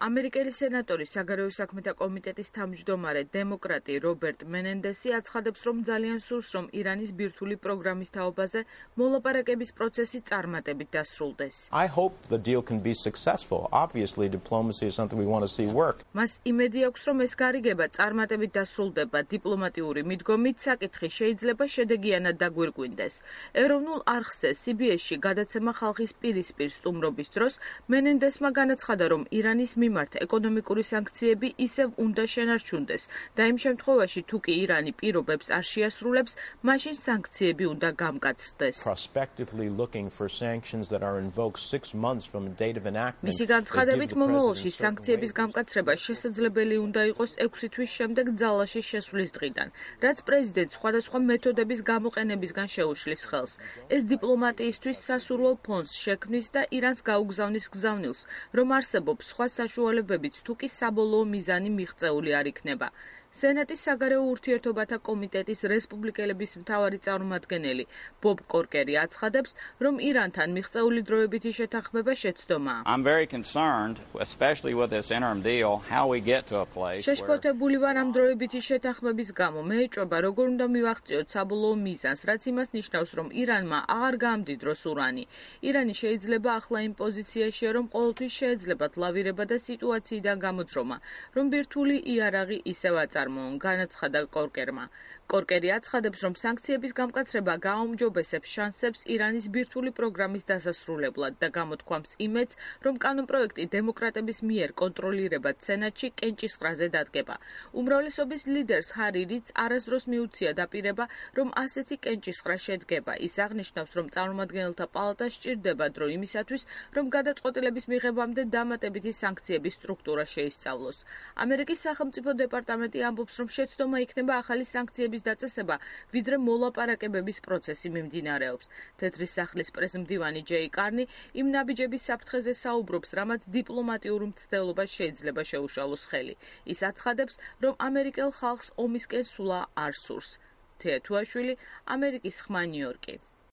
ამერიკელი სენატორის საგარეო საქმეთა კომიტეტის თავმჯდომარე დემოკრატი რობერტ მენენდესი აცხადებს, რომ ძალიან სურს, რომ ირანის ბირთვული პროგრამის თაობაზე მოლაპარაკების პროცესი წარმატებით დასრულდეს. I hope the deal can be successful. Obviously, diplomacy is something we want to see work. მას იმედი აქვს, რომ ეს გარიგება წარმატებით დასრულდება. დიპლომატიური მიდგომით საკითხი შეიძლება შედეგიანად დაგვირგვინდეს. ეროვნულ არხზე CBS-ში გადაცემა ხალხის პირისპირ სტუმრობის დროს მენენდესმა განაცხადა, რომ ირანის მიმართ ეკონომიკური სანქციები ისევ უნდა შენარჩუნდეს და იმ შემთხვევაში, თუ კი ირანი პირობებს არ შეასრულებს, მაშინ სანქციები უნდა გამკაცრდეს. Prospectively looking for sanctions that are invoked 6 months from the date of enactment. მისი განცხადებით, მომავალში სანქციების გამკაცრება შესაძლებელი უნდა იყოს 6 თვის შემდეგ ძალაში შესვლის დღიდან, რაც პრეზიდენტს სხვადასხვა მეთოდების გამოყენებისგან შეუშლის ხელს. ეს დიპლომატიისთვის სასურველ ფონს შექმნის და ირანს გაუგზავნის გზავნილს, რომ არსებობს სხვა საშუალებებიც, თუ კი საბოლოო მიზანი მიღწეული არ იქნება. სენატის საგარეო ურთიერთობათა კომიტეტის რესპუბლიკელების მთავარი წარმომადგენელი ბობ კორკერი აცხადებს, რომ ირანთან მიღწეული დროებითი შეთანხმება შეცდომაა. I'm very concerned, especially with this interim deal, how we get to a place where შეშფოთებული ვარ ამ დროებითი შეთანხმების გამო. მე ეჭვება, როგორ უნდა მივაღწიოთ საბოლოო მიზანს, რაც იმას ნიშნავს, რომ ირანმა აღარ გაამდიდროს ურანი. ირანი შეიძლება ახლა იმ პოზიციაშია, რომ ყოველთვის შეეძლებათ ლავირება და სიტუაციიდან გამოძრომა, რომ ბირთვული იარაღი ისევ აწარმოონ, განაცხადა კორკერმა. კორკერი აცხადებს, რომ სანქციების გამკაცრება გააუმჯობესებს შანსებს ირანის ბირთვული პროგრამის დასასრულებლად და გამოთქვამს იმედს, რომ კანონპროექტი დემოკრატების მიერ კონტროლირებად სენატში კენჭისყრაზე დადგება. უმრავლესობის ლიდერს ჰარი რიდს არასდროს მიუცია დაპირება, რომ ასეთი კენჭისყრა შედგება. ის აღნიშნავს, რომ წარმომადგენელთა პალატა სჭირდება დრო იმისათვის, რომ გადაწყვეტილების მიღებამდე დამატებითი სანქციების სტრუქტურა შეისწავლოს. ამერიკის სახელმწიფო დეპარტამენტი ამბობს, რომ შეცდომა იქნება ახალი სანქციების დაწესება, ვიდრე მოლაპარაკებების პროცესი მიმდინარეობს. თეთრი სახლის პრესმდივანი ჯეი კარნი იმ ნაბიჯების საფრთხეზე საუბრობს, რამაც დიპლომატიურ მცდელობას შეიძლება შეუშალოს ხელი. ის აცხადებს, რომ ამერიკელ ხალხს ომისკენ სულა არ სურს. თეა თუაშვილი, ამერიკის ხმა ნიუ-იორკი.